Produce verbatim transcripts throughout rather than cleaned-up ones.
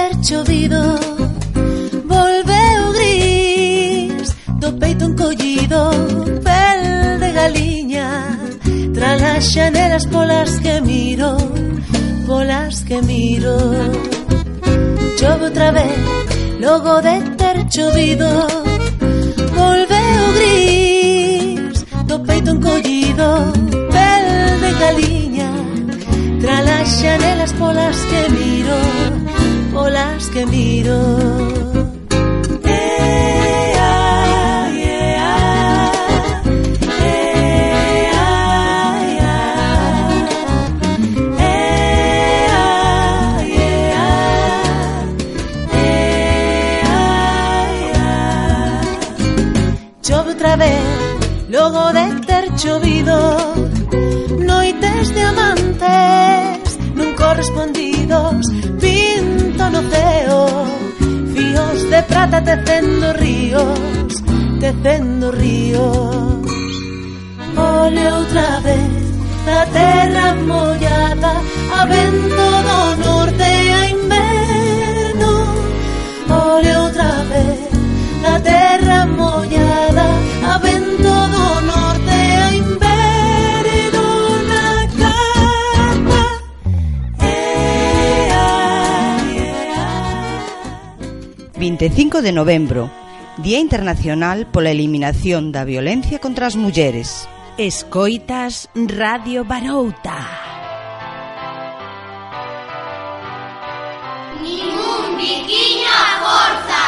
ter chovido, volve o gris do peito encollido, pel de galiña, tras as xanelas polas que miro, polas que miro. Chove outra vez, logo de ter chovido, volve o gris do peito encollido, pel de galiña, tras as xanelas polas que miro, polas que miro. Logo de ter chovido, noites de amantes non correspondidos, pinto no ceo, fíos de prata tecendo ríos, tecendo ríos. Ole outra vez na terra mollada, a vento do norte a inverno. Ole outra vez na terra mollada, a vento do norte a inverno na carta. vinte e cinco de novembro, Día Internacional pola Eliminación da Violencia contra as Mulleres. Escoitas Radio Barouta. Ningún biquiño a forza.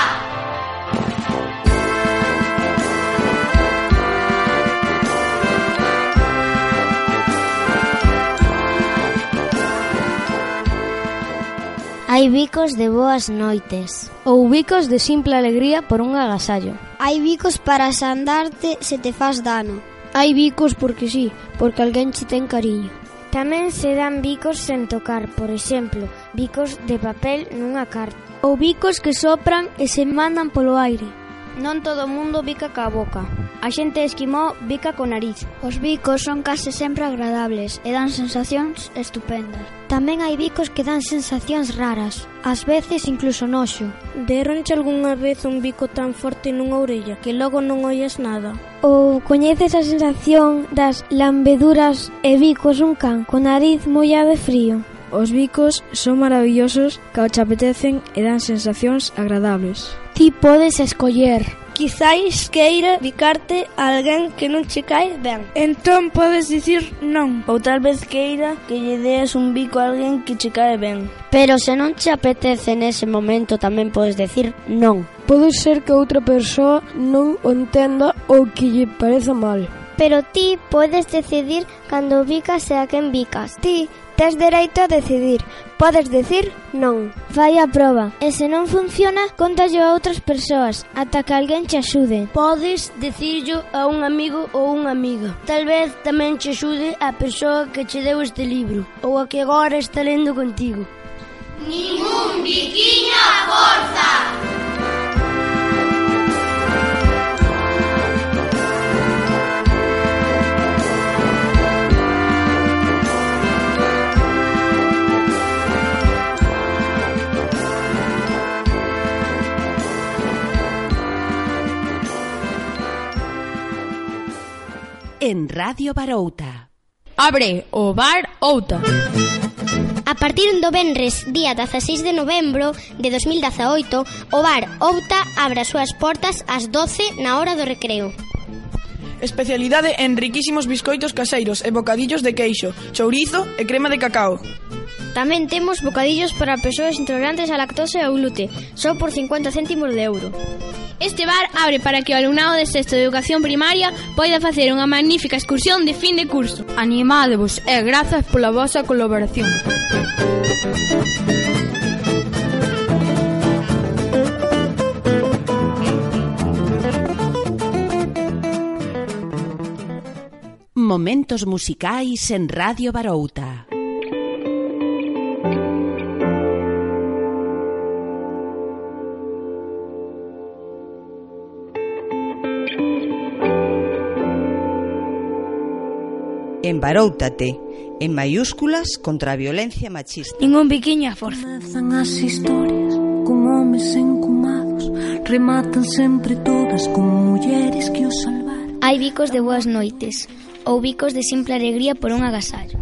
Hai bicos de boas noites ou bicos de simple alegría por un agasallo. Hai bicos para sandarte se te faz dano. Hai bicos porque sí, porque alguén che ten cariño. Tamén se dan bicos sen tocar, por exemplo, bicos de papel nunha carta. Ou bicos que sopran e se mandan polo aire. Non todo o mundo bica ca boca. A xente esquimó bica co nariz. Os bicos son case sempre agradables e dan sensacións estupendas. Tamén hai bicos que dan sensacións raras, ás veces incluso noxo. Deronche algunha vez un bico tan forte nunha orella que logo non oías nada? Ou coñeces a sensación das lambeduras e bicos un can co nariz mollado e frío? Os bicos son maravillosos que ao te apetecen e dan sensacións agradables. Ti podes escoller. Quizáis queira bicarte a alguén que non che cae ben. Entón podes dicir non. Ou tal vez queira que lle deas un bico a alguén que che cae ben. Pero se non che apetece nese momento tamén podes decir non. Pode ser que outra persoa non o entenda ou que lle pareza mal. Pero ti podes decidir cando bicas e a quen bicas. Ti tes dereito a decidir. Podes decir non. Vai a proba. E se non funciona, contallo a outras persoas, ata que alguén che axude. Podes decirlo a un amigo ou unha amiga. Tal vez tamén che axude a persoa que che deu este libro, ou a que agora está lendo contigo. Ningún biquiño a forza. En Radio Barouta. Abre o Bar Outa. A partir do venres, día dieciséis de novembro de dos mil dezaoito, o Bar Outa abre as súas portas ás doce na hora do recreo. Especialidade en riquísimos biscoitos caseiros e bocadillos de queixo, chourizo e crema de cacao. Tamén temos bocadillos para persoas intolerantes á lactose ou glute, só por cincuenta céntimos de euro. Este bar abre para que o alumnado de sexto de educación primaria poida facer unha magnífica excursión de fin de curso. Animádevos e grazas pola vosa colaboración. Momentos musicais en Radio Barouta. Embaróutate, en mayúsculas, contra a violencia machista. Ningún biquiño a forza. Comezan as historias homes encumados rematan sempre todas con mulleres que os salvaron. Hai bicos de boas noites ou bicos de simple alegría por un agasallo.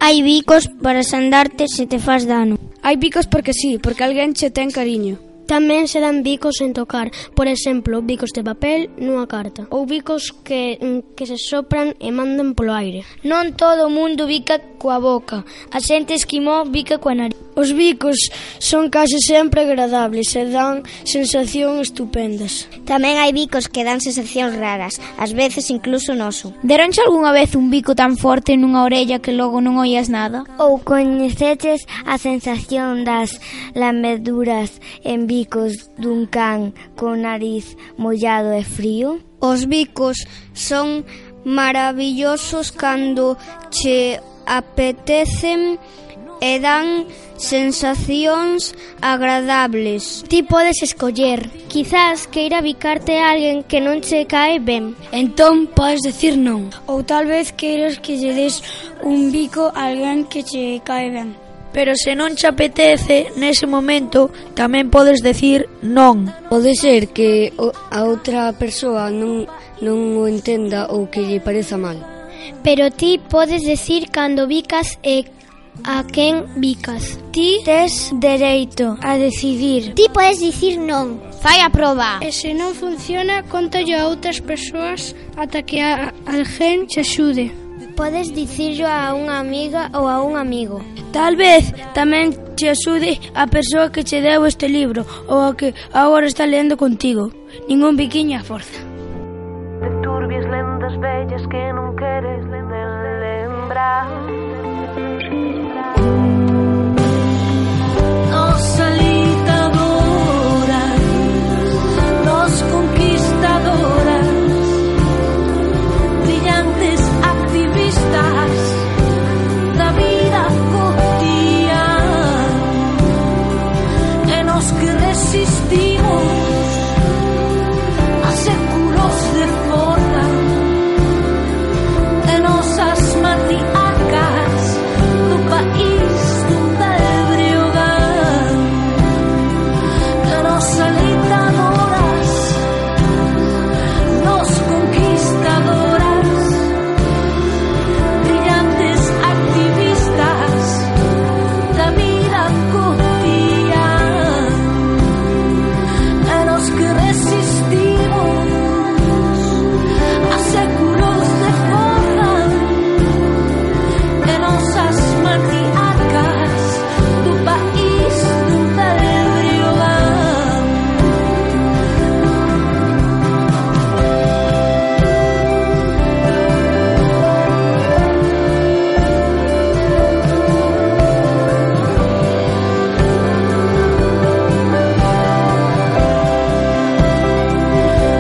Hai bicos para sandarte se te faz dano. Hai bicos porque sí, porque alguén che ten cariño. Tamén se dan bicos sen tocar, por exemplo, bicos de papel nunha carta, ou bicos que, que se sopran e mandan polo aire. Non todo o mundo bica coa boca, a xente esquimó bica coa nariz. Os bicos son case sempre agradables e dan sensacións estupendas. Tamén hai bicos que dan sensacións raras, ás veces incluso noso. Deronche algunha vez un bico tan forte nunha orella que logo non oías nada? Ou coñeceches a sensación das lameduras en bicos dun can con nariz mollado e frío? Os bicos son maravillosos cando che apetecen e dan sensacións agradables. Ti podes escoller, quizás queira bicarte a alguén que non che cae ben. Entón podes decir non. Ou tal vez queiras que lle des un bico a alguén que che cae ben. Pero se non che apetece, nese momento, tamén podes decir non. Pode ser que a outra persoa non, non o entenda ou que lle pareza mal. Pero ti podes decir cando bicas e a quen bicas. Ti tes dereito a decidir. Ti podes dicir non. Fai a proba. E se non funciona, contalle a outras persoas ata que a alguén che axude. Podes dicirlo a unha amiga ou a un amigo. Tal vez tamén te axude a persoa que che deu este libro ou a que agora está lendo contigo. Ningún biquiño a forza. De turbias lendas bellas que non queres lembrar. Nos alitadoras, nos conquistadoras, brillantes activistas da vida cotidiana, e nos que resistimos a séculos de forza, e nosas matriarcas do país donde briogan, e nos alentadoras, nos conquistadoras, brillantes activistas da vida cotidiana, e nos que resistimos a séculos de forza, e nosas matriarcas do país donde briogan.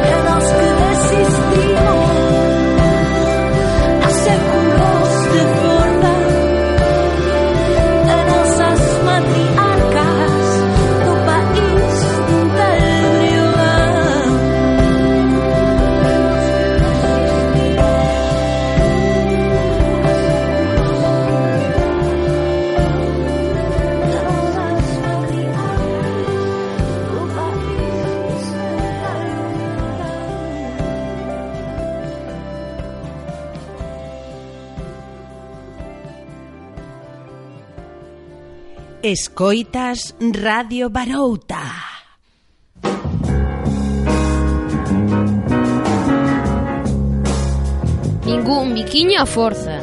E nos que resistimos a séculos de forza, e nosas matriarcas do país donde briogan. Escoitas Radio Barouta. Ningún biquiño a forza.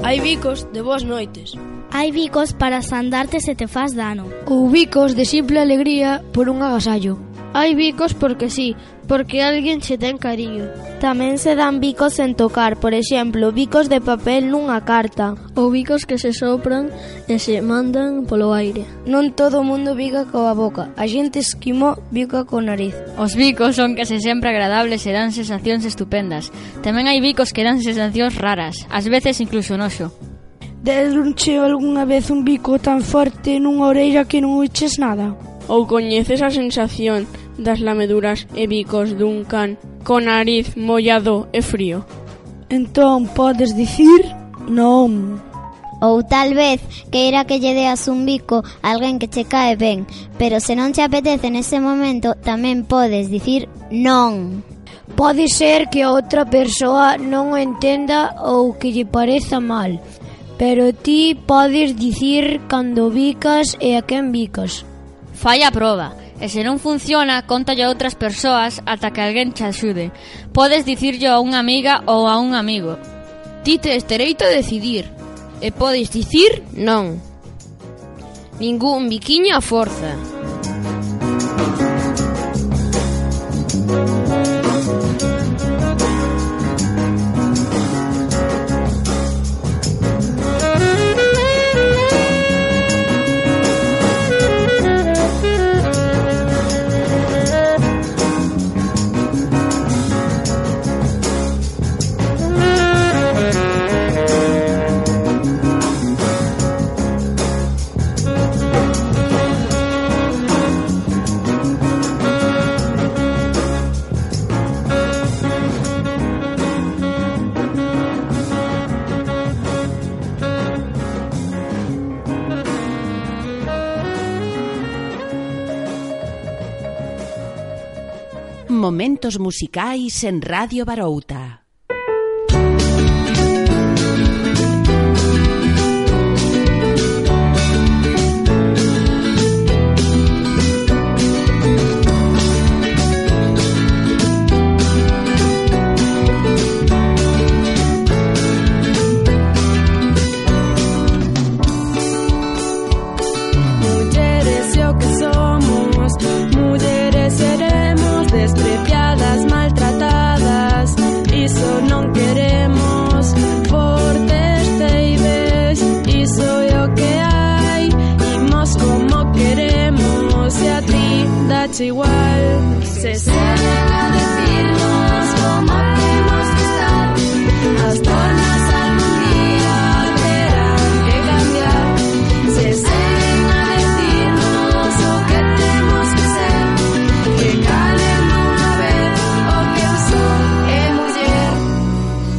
Hai bicos de boas noites. Hai bicos para sandarte se te faz dano. Ou bicos de simple alegría por un agasallo. Hai bicos porque sí, porque alguén che ten cariño. Tamén se dan bicos sen tocar, por exemplo, bicos de papel nunha carta. Ou bicos que se sopran e se mandan polo aire. Non todo o mundo bica coa boca, a xente esquimó bica co nariz. Os bicos son case sempre agradables e dan sensacións estupendas. Tamén hai bicos que dan sensacións raras, ás veces incluso noxo. Deronche algunha vez un bico tan forte nunha orella que non oiches nada? Ou coñeces a sensación das lameduras e bicos dun can con nariz mollado e frío? Entón podes dicir non. Ou tal vez queira que lle deas un bico a alguén que che cae ben, pero se non che apetece nese momento, tamén podes dicir non. Pode ser que a outra persoa non o entenda ou que lle pareza mal, pero ti podes dicir cando bicas e a quen bicas. Falla a proba, e se non funciona, contalle a outras persoas ata que alguén che axude. Podes dicirlo a unha amiga ou a un amigo. Ti tes dereito a decidir, e podes dicir non. Ningún biquiño a forza. Momentos musicais en Radio Barouta. Mulleres e o que somos, mulleres seremos despreciadas, maltratadas, iso non queremos, fortes teibes, iso é o que hai, imos como queremos, e a ti dache igual, se seguen a decirnos como temos que estar, as tornas algún día terán que cambiar, se seguen a decirnos o que temos que ser, que calen unha vez o que eu son é muller.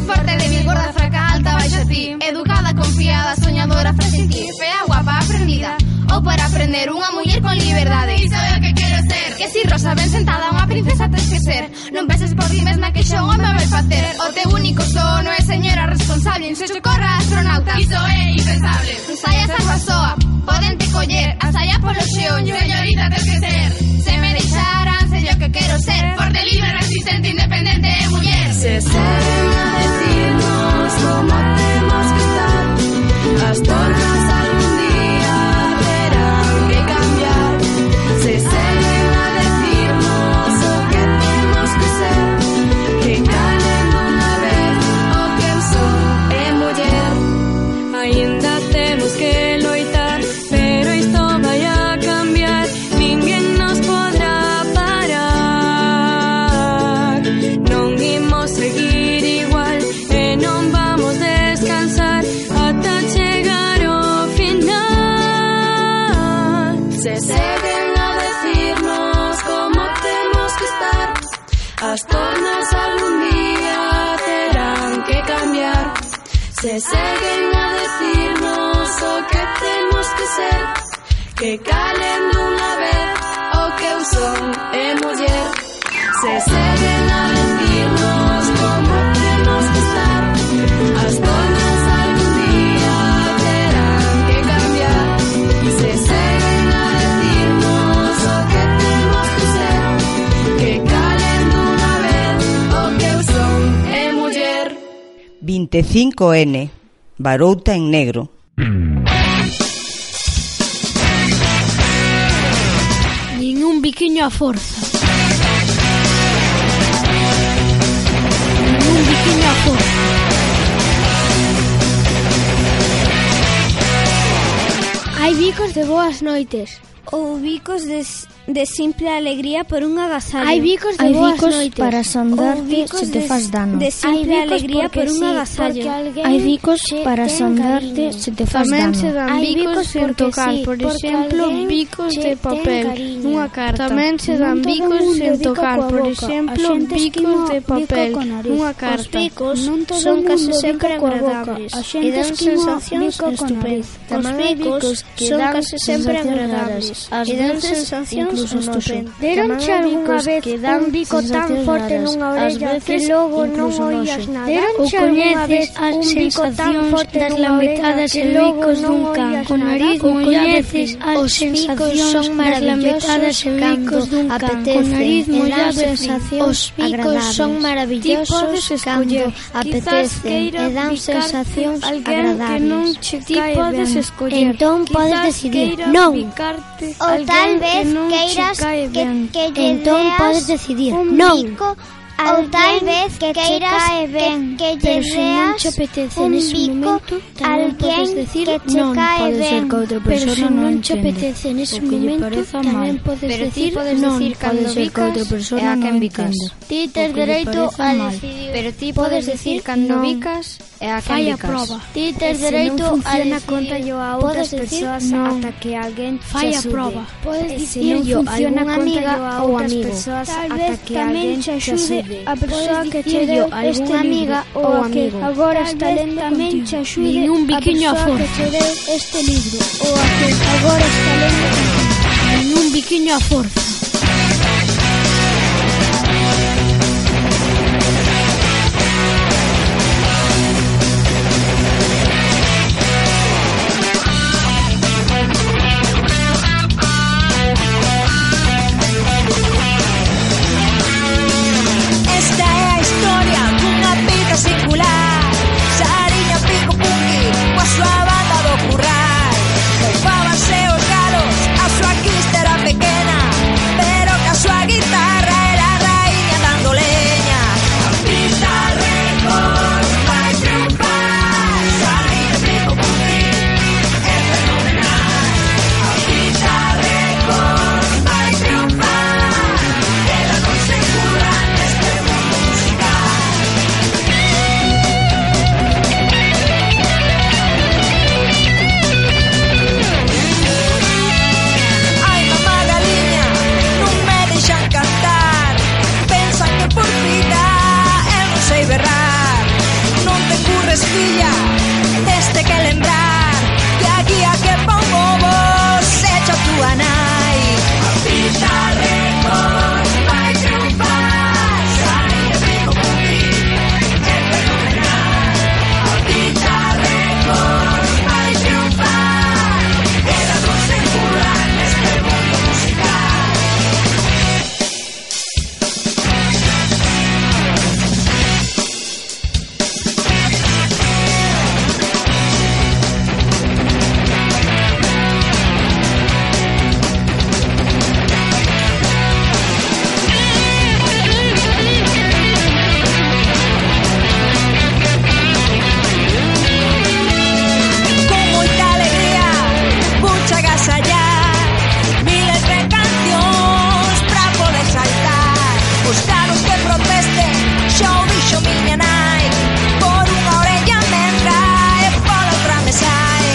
Forte, débil, gorda, fraca, alta, baixa ti, educada, confiada, soñadora, frágil, fea, guapa, aprendida, ou para aprender unha muller con liberdade. Iso é o que quero ser. Que si rosa ben sentada unha princesa tes que ser. Non penses por ti mesma que xa un home vai facer. O teu único sono é señora responsable, se socorra astronauta. Iso é impensable. Saia salva soa, poden te coller, a saia polo xeonllo, señorita tes que ser. Se me deixaran, sei o que quero ser. Forte, libre, resistente, independente e muller. Se seguen a decirnos como temos que estar, as tornas algún día terán que cambiar, se seguen a decirnos o que temos que ser, que calen unha vez o que eu son é muller. Ainda temos que loitar, pero isto vai a cambiar, ninguén nos podrá parar, non imos seguir igual e non vamos descansar ata chegar ao final. Se seguen a decirnos como temos que estar, as tornas algún día terán que cambiar, se seguen a decirnos o que temos que ser, que calen dunha vez o que eu son é muller. Se seguen a decirnos como temos que estar, as tornas algún día terán que cambiar, se seguen a decirnos o que temos que ser, que calen dunha vez o que eu son é muller. veinticinco ene, Barouta en negro. Nin un biquiño a forza. Nin un biquiño a forza. Hai bicos de boas noites. Ou bicos de de simple alegría por un agasallo. Hai bicos de Hai boas bicos noites para sondarte sondarte se te faz dano. De simple Hai bicos alegría porque por un sí, agasallo. porque alguén Hai bicos che para ten sondarte cariño. se te faz Tamén dano. se dan Hai bicos sen porque tocar, sí, por porque exemplo, alguén bicos che de ten papel cariño. nunha carta. Tamén se dan Non todo bicos mundo sen bica tocar, coa por boca. exemplo, A xente bicos esquima de bica papel coa nariz. nunha Os carta. bicos Non todo son mundo casi bica sempre coa boca. agradables A e xente dan esquima sensacións bica coa estupendas. nariz. Tamén hai bicos que son dan casi sempre sensacións agradables. raras. E Ás dan veces sensacións incluso estupendas. noxo. Deronche Tamén hai algunha bicos vez que dan un bico tan sensacións forte raras. nunha Ás orella veces que logo non incluso oías noxo. nada? Deronche Ou algunha vez coñeces as un bico tan sensacións forte das nunha lametadas orella e que logo bicos non dun can oías con nada? nariz Ou mollada de coñeces frío. as Os bicos sensacións son das lametadas maravillosos e bicos dun can apetecen con nariz e dan mollada de frío. sensacións Os bicos son agradables. maravillosos Ti podes cando escoller. apetecen Quizás e dan queira sensacións alguén que non agradables. che Ti cae podes ben. escoller. Entón Quizás podes decidir queira non. picarte Ou alguén tal vez que non che queiras cae que, ben. que lle Entón deas podes decidir un non. bico ou tal vez que queiras que, que lle Pero se non deas che apetece un nese bico momento, tamén alguén podes decir que che non. cae Pode ser ben. que outra Pero persona se non non che entende, apetece nese ou que lle momento, pareza tamén mal. podes Pero ti decir podes non. decir cando Pode ser que bicas outra persona e a non quen bicas. entenda. Ti tes dereito a decidir. Pero ti podes decir cando bicas e a quen Fai a bicas. proba. Ti E tes se dereito non a funciona, decidir. cóntallo a outras Podes decir persoas non. ata que alguén Fai che a axude. proba. Podes E se dicirllo non a funciona, algunha amiga cóntallo a ou outras amigo. persoas Tal ata vez que tamén alguén che che axude axude. a persoa Podes que che dicirllo deu a este algunha libro amiga ou ou amigo. amigo. Agora Tal está vez lendo tamén contigo. che axude Nin un a biquiño a persoa que forza. che deu este libro ou a que agora está lendo contigo. Nin un biquiño a forza. Esta é a historia dunha pica singular. Sariña pico punky coa súa banda do curral. Moufábanse os galos, a súa quista era pequena, pero que a súa guitarra era a raíña dando leña. A pista récord vai triunfar. Sariña pico punky é fenomenal. A pista récord vai triunfar. Ela non se cura neste mundo musical. Ai, mamá galiña, non me deixan cantar. Pensan que por vida eu non sei berrar. Non te curres, filla, teste que lembrar que a guía que pon vos echa túa nai. A pista récord vai triunfar. Sariña pico punky é fenomenal. A pista récord vai triunfar. Ela non se cura neste mundo musical. Con moita alegría, pucha agasallar miles de cancións pra poder saltar. Os galos que protesten, xa o dixo miña nai. Por unha orella me entra e pola outra me sae.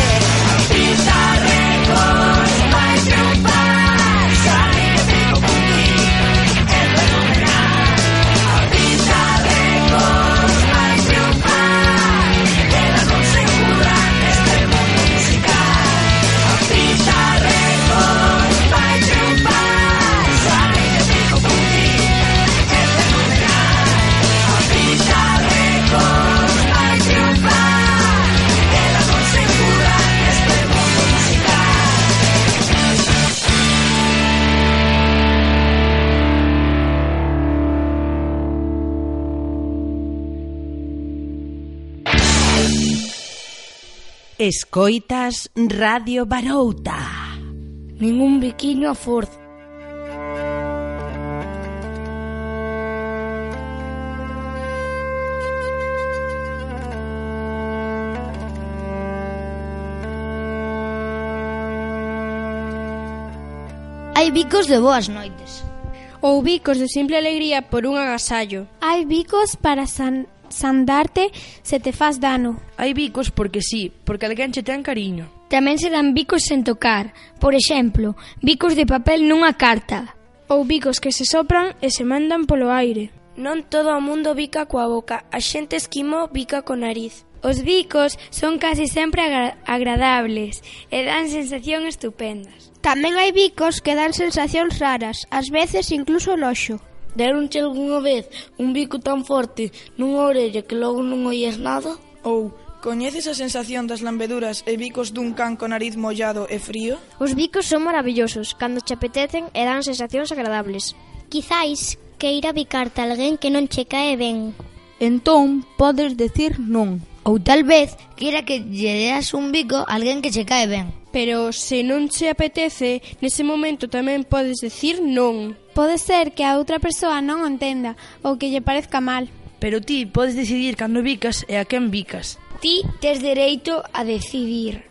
A pista récord vai triunfar. Sariña pico punky é fenomenal. A pista récord vai triunfar. Ela non se cura neste mundo musical. A pista récord vai triunfar. Sariña pico punky é fenomenal. A pista récord vai triunfar. Ela non se cura neste mundo musical. Escoitas Radio Barouta. Ningún biquiño a forza. Hai bicos de boas noites. Ou bicos de simple alegría por un agasallo. Hai bicos para san, sandarte se te faz dano. Hai bicos porque sí, porque alguén che ten cariño. Tamén se dan bicos sen tocar. Por exemplo, bicos de papel nunha carta. Ou bicos que se sopran e se mandan polo aire. Non todo o mundo bica coa boca, a xente esquimó bica co nariz. Os bicos son casi sempre agra- agradables e dan sensación estupendas. Tamén hai bicos que dan sensacións raras, ás veces incluso noxo. Deronche algunha vez un bico tan forte nunha orella que logo non oías nada? Ou coñeces a sensación das lambeduras e bicos dun can co nariz mollado e frío? Os bicos son maravillosos cando che apetecen e dan sensacións agradables. Quizáis queira bicarte a alguén que non che cae ben. Entón podes decir non. Ou tal vez queira que lle deas un bico a alguén que che cae ben. Pero se non che apetece, nese momento tamén podes decir non. Pode ser que a outra persoa non o entenda ou que lle parezca mal. Pero ti podes decidir cando bicas e a quen bicas. Ti tes dereito a decidir.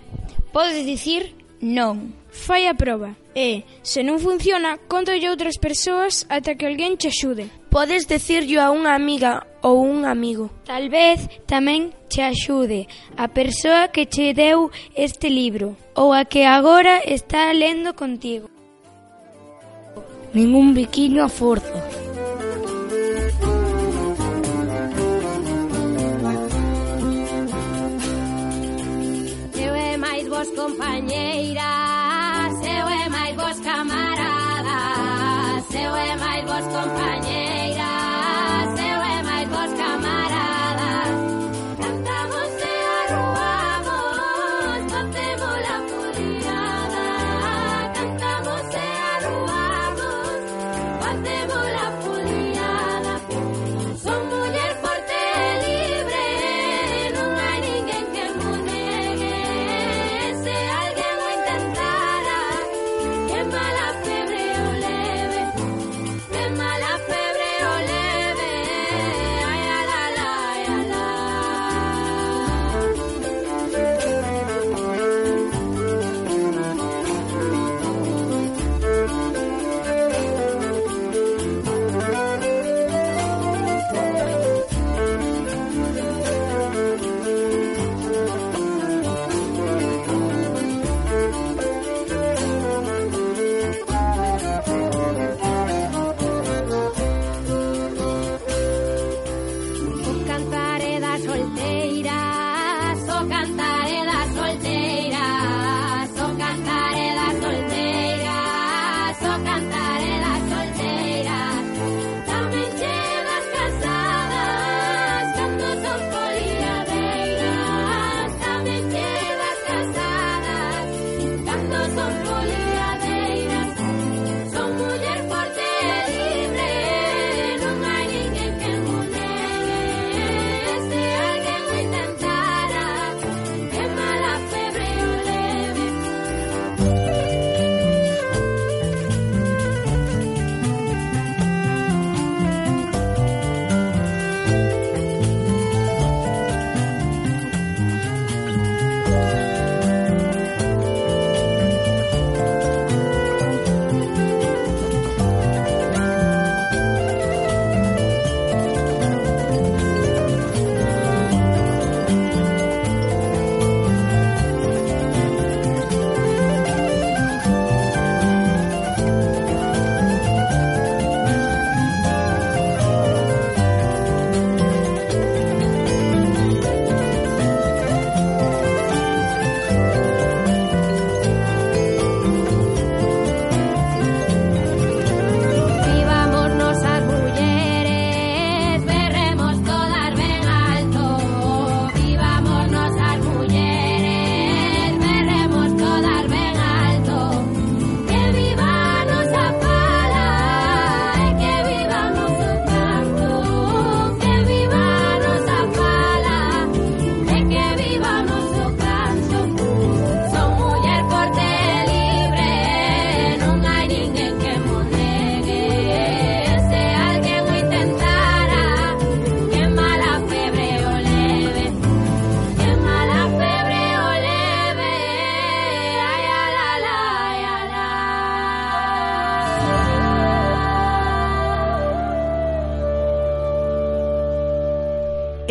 Podes dicir non. Fai a proba e, se non funciona, contolle a outras persoas ata que alguén che axude. Podes decirlo a unha amiga ou un amigo. Tal vez tamén che axude a persoa que che deu este libro ou a que agora está lendo contigo. Ningún biquiño a forza. Eu é máis vos compañeiras, eu é máis vos camaradas, eu é máis vos compañeiras, eu é máis vos camaradas. Cantamos e arruamos, batemos la furiada. Cantamos e arruamos, batemos la furiada. Son muller forte e libre, non hai ninguén que mo negue. Se alguén o intentara, que mala febre o leve, que mala febre o leve.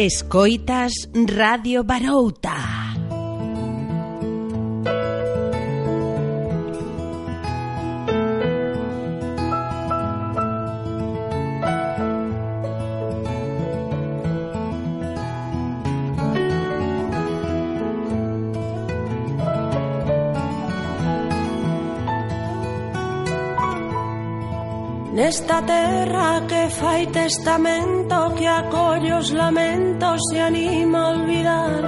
Escoitas Radio Barouta. Nesta terra que fai testamento, que acolle os lamentos e anima a olvidar,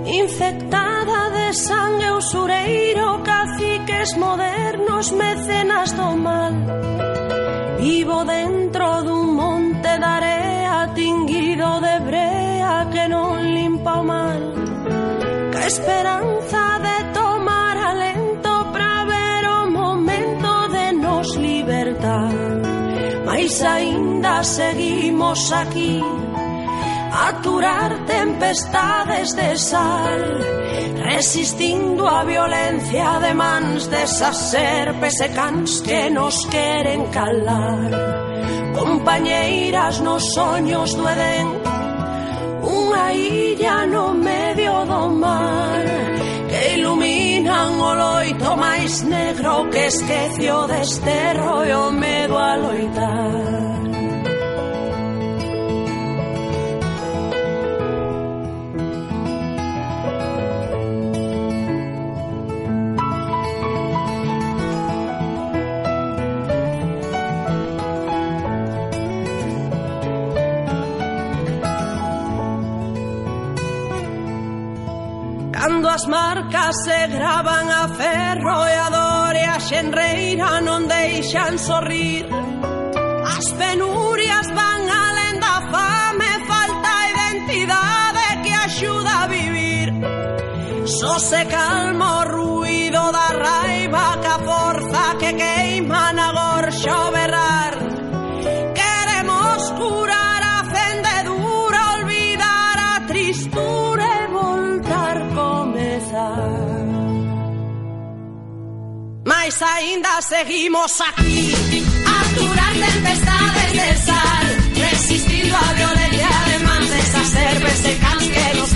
infectada de sangue usureiro, caciques modernos, mecenas do mal. Vivo dentro dun monte de area tinguido de brea que non limpa o mal, que a esperanza de tomar alento pra ver o momento de nos libertar. Mais aínda seguimos aquí a aturar tempestades de sal, resistindo a violencia de mans desas serpes e cans que nos queren calar. Compañeiras nos soños do Edén, unha illa no medio do mar, que iluminan o loito máis negro que esquece o desterro e o medo a loitar. Cando as marcas se gravan a ferro e a dor e a xenreira non deixan sorrir, as penurias van alén da fame, falta identidade que axuda a vivir. Só se calma o ruído da raiva, que a forza que queima na gorxa o berrar. Queremos curar a fendedura, olvidar a tristura e voltar comezar. Mais aínda seguimos aquí a aturar tempestades de sal, resistindo a violencia de mans desas serpes e cans que nos